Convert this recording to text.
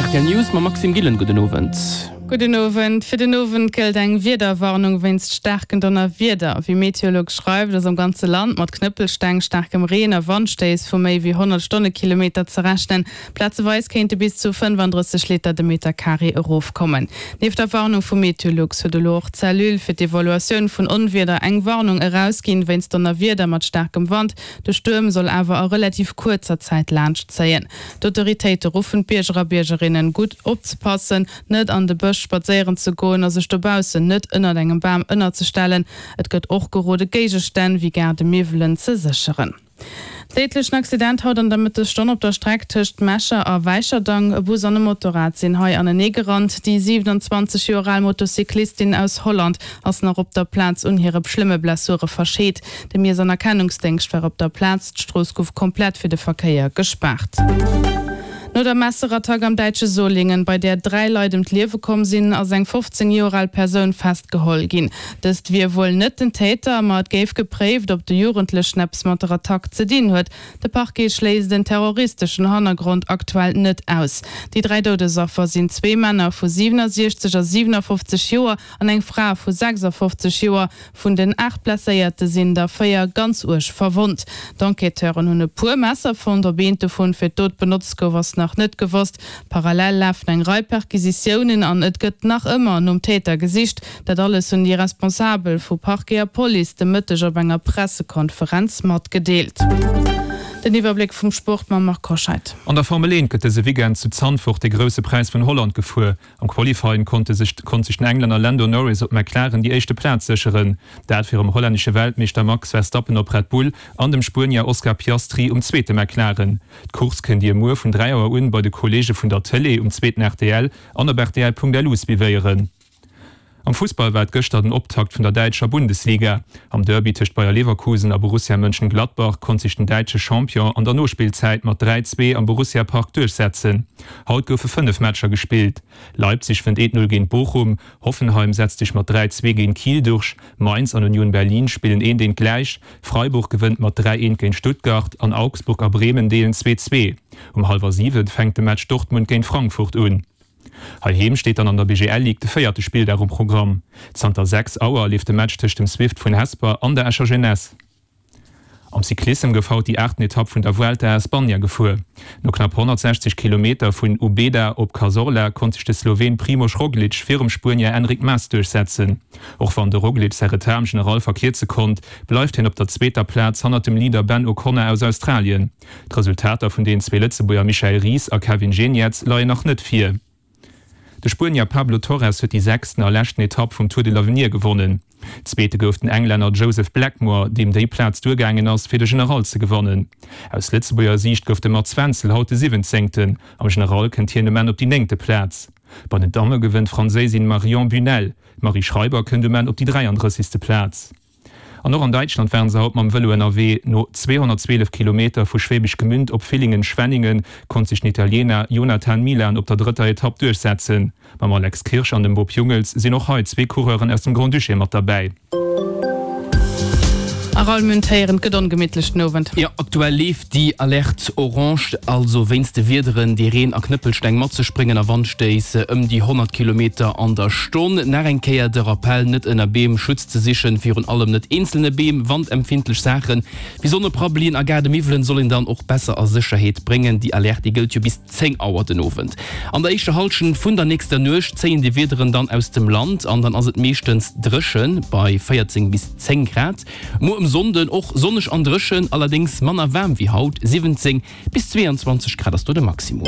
Rtl News mam Maxime Gillen, Gudden Owend. Gudden Owend. Fir den Owend gëllt eng Wiederwarnung wéinst staarken Donnerwieder. Wéi Meteolux schreift, ass am ganze Land mat Knëppelsteng, staarkem Reen a Wandstéiss vu méi wéi 100 Stonnekilometer ze rechnen. Plazeweis kéinte bis zu 35 Liter de Meter Carré erofkommen. Nieft der Warnung vu Meteolux huet elo och d'Cellule fir d'Evaluatioun vun Onwieder eng Warnung erausginn wéinst Donnerwieder mat staarkem Wand. De Stuerm soll awer a relativ kuerzer Zäit laanscht zéien. D'Autoritéite ruffen d'Bierger a Biergerinnen, gutt opzepassen, net an de Bësch spadséieren ze goen a sech dobaussen net ënnert engem Bam ënnerzestellen. Et gëtt och gerode Géigestänn wéi Gaardemiwwelen ze sécheren. Déidlechen Accident haut an der Mëttesstonn op der Streck tëscht Mecher a Wäicherdang. E Bus an e Motorrad sinn hei anenee gerannt. Déi 27 Joer al Motocyclistin aus Holland ass nach op der Plaz un hire schlëmme Blessure verscheet. De Miess an Erkennungsdéngscht war op der Plaz. D'Strooss gouf komplett fir de Verkéier gespaart. No der Messerattack am däitsche Solingen, bei där 3 Leit ëm d'Liewe komm sinn, ass eng 15 Joer al Persoun festgeholl ginn. Dëst wier wuel net den Täter, ma et géif gepréift, ob de Jugendlechen eppes mat der Attack ze dinn huet. De Parquet schléisst en terroristeschen Hannergrond aktuell net aus. Déi 3 Doudesaffer sinn zwee Männer vu 67 a 57 Joer an eng Fra vu 56 Joer. Vun den 8 Blesséierte sinn der 4 ganz uerg verwonnt. D'Enquêteuren hunn e puer Messer fonnt. Ob eent dovun fir d'Dot benotzt gouf, ass nach net gewosst. Parallel lafen eng Rei Perquisitiounen an et gëtt nach ëmmer nom Täter gesicht. Dat alles hunn déi Responsabel vu Parquet a Police de Mëtteg op enger Pressekonferenz matgedeelt. Den Iwwerbléck vum Sport mam Marc Hoscheid. An der Formel 1 gëtt dëse Weekend zu Zandvoort de Grousse Präis vun Holland gefuer. Am Qualifying konnte sech konnt sech den Englänner Lando Norris op McLaren déi éischte Plaz sécheren, dat virum hollännesche Weltmeeschter Max Verstappen op Red Bull an dem Spuenier Oscar Piastri um zweete McLaren. D'Course kënnt Dir muer vun 3 Auer un bei de Kolleege vun der Tëlee um zweeten rtl an op rtl.lu suivéieren. Am Fussball war et gëschter den Optakt vun der däitscher Bundesliga. Am Derby tëscht Bayer Leverkusen a Borussia Mönchengladbach konnt sech den däitsche Champion an der Nospillzäit mat 3, 2 am Borussia Park duerchsetzen. Haut goufe 5 Matcher gespillt. Leipzig wënnt 1, 0 géint Bochum, Hoffenheim setzt sech mat 3, 2 géint Kiel durch, Mainz an Union Berlin spillen 1, 1 gläich, Freiburg gewënnt mat 3, 1 géint Stuttgart an Augsburg a Bremen deelen 2, 2. Um hallwer 7 fänkt de Match Dortmund géint Frankfurt un. Heiheem steet dann an der BGL Ligue de véierte Spilldag um Programm. Zanter 6 Auer leeft de Match tëscht dem Swift vun Hesper an der Escher Jeunesse. Am Cyclissem gouf haut déi aachten Etapp vun der Vuelta a España gefuer. No knapp 160 Kilometer vun Ubeda op Cazorla konnt sech de Sloween Primož Roglič virum Spuenier Enric Mas duerchsetzen. Och wann de Roglič säi Retard am General verkierze konnt, bleift hien op der zweeter Plaz hannert dem Leader Ben O'Connor aus Australien. D'Resultater vun den zwee Lëtzebuerger Michael Ries a Kevin Geniets leien nach net vir. De Spuenier Pablo Torres huet déi sechsten a leschten Etapp vum Tour de l'Avenir gewonnen. Zweete gouf den Englänner Joseph Blackmore, deem déi Plaz duergaangen ass, fir de General ze gewannen. Aus Lëtzebuerger Siicht gouf de Mats Wenzel haut de Siwwenzéngten. Am General kënnt hien um Enn op déi néngte Plaz. Bei den Damme gewënnt d'Franséisin Marion Bunel. D'Marie Schreiber kënnt um Enn op déi 33. Plaz. An och an Däitschland waren se haut mam Vëlo ënnerwee. No 212 Kilometer vu Schwäbisch Gmünd op Villingen-Schwenningen konnt sech den Italiener Jonathan Milan op der drëtter Etapp duerchsetzen. Mam Alex Kirsch an dem Bob Jungels sinn och hei zwee Coureuren aus dem Grand-Duché mat derbäi. A Raoul Münth héieren, et gëtt ongemittlech den Owend. Jo, aktuell leeft déi Alerte orange, also wéinst de Wiederen, déi Reen a Knëppelsteng mat sech bréngen a Wandstéiss ëm déi 100 Kilometer an der Stonn. Nach eng Kéier de Rappell, net ënner Beem Schutz ze sichen, virun allem net eenzelne Beem. Wandempfindlech Saache wéi Sonneprabbelien a Gaardemiwwelen soll een dann och besser a Sécherheet bréngen. Déi Alerte, déi gëllt jo bis 10 Auer den Owend. An der éischter Hallschent vun der nächster Nuecht zéien déi Wiederen dann aus dem Land an dann ass et meeschtens dréche bei 14 bis 10 Grad. Muer um Sonnden och sonneg an dréchen, allerdéngs manner waarm wéi haut, 17 bis 22 Grad ass do de Maximum.